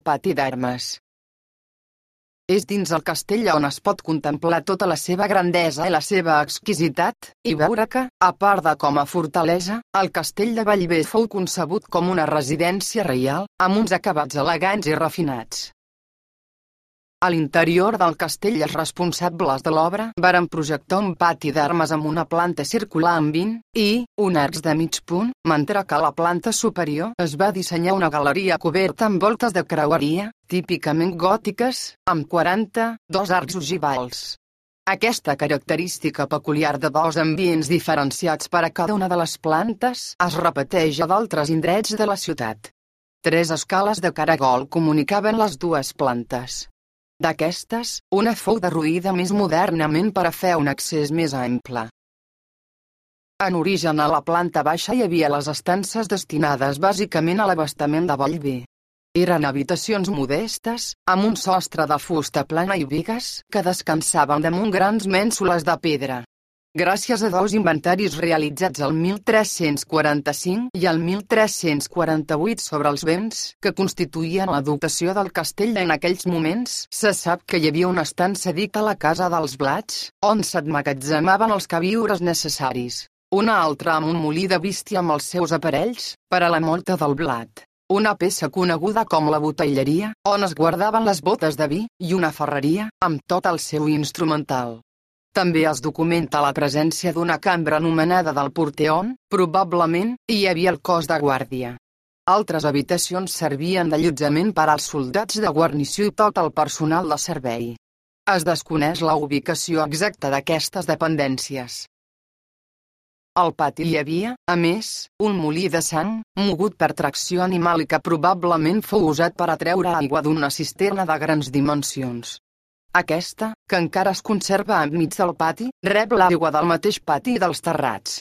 Pati d'armes. És dins el castell on es pot contemplar tota la seva grandesa i la seva exquisitat, i veure que, a part de com a fortalesa, el castell de Bellver fou concebut com una residència reial, amb uns acabats elegants i refinats. A l'interior del castell els responsables de l'obra varen projectar un pati d'armes amb una planta circular amb 20 i un arcs de mig punt, mentre que a la planta superior es va dissenyar una galeria coberta amb voltes de creueria, típicament gòtiques, amb 42 arcs ogivals. Aquesta característica peculiar de dos ambients diferenciats per a cada una de les plantes es repeteix a d'altres indrets de la ciutat. 3 escales de caragol comunicaven les dues plantes. D'aquestes, una fou derruïda més modernament per a fer un accés més ample. En origen a la planta baixa hi havia les estances destinades bàsicament a l'abastament de Bellver. Eren habitacions modestes, amb un sostre de fusta plana i bigues, que descansaven damunt grans mènsules de pedra. Gràcies a dos inventaris realitzats el 1345 i el 1348 sobre els béns que constituïen la dotació del castell en aquells moments, se sap que hi havia una estança dita la Casa dels Blats, on s'emmagatzemaven els queviures necessaris. Una altra amb un molí de bístia amb els seus aparells, per a la molta del blat. Una peça coneguda com la botelleria, on es guardaven les botes de vi, i una ferreria, amb tot el seu instrumental. També es documenta la presència d'una cambra anomenada del porteón, probablement hi havia el cos de guàrdia. Altres habitacions servien d'allotjament per als soldats de guarnició i tot el personal de servei. Es desconeix la ubicació exacta d'aquestes dependències. Al pati hi havia, a més, un molí de sang, mogut per tracció animal i que probablement fou usat per atreure aigua d'una cisterna de grans dimensions. Aquesta, que encara es conserva enmig del pati, rep l'aigua del mateix pati i dels terrats.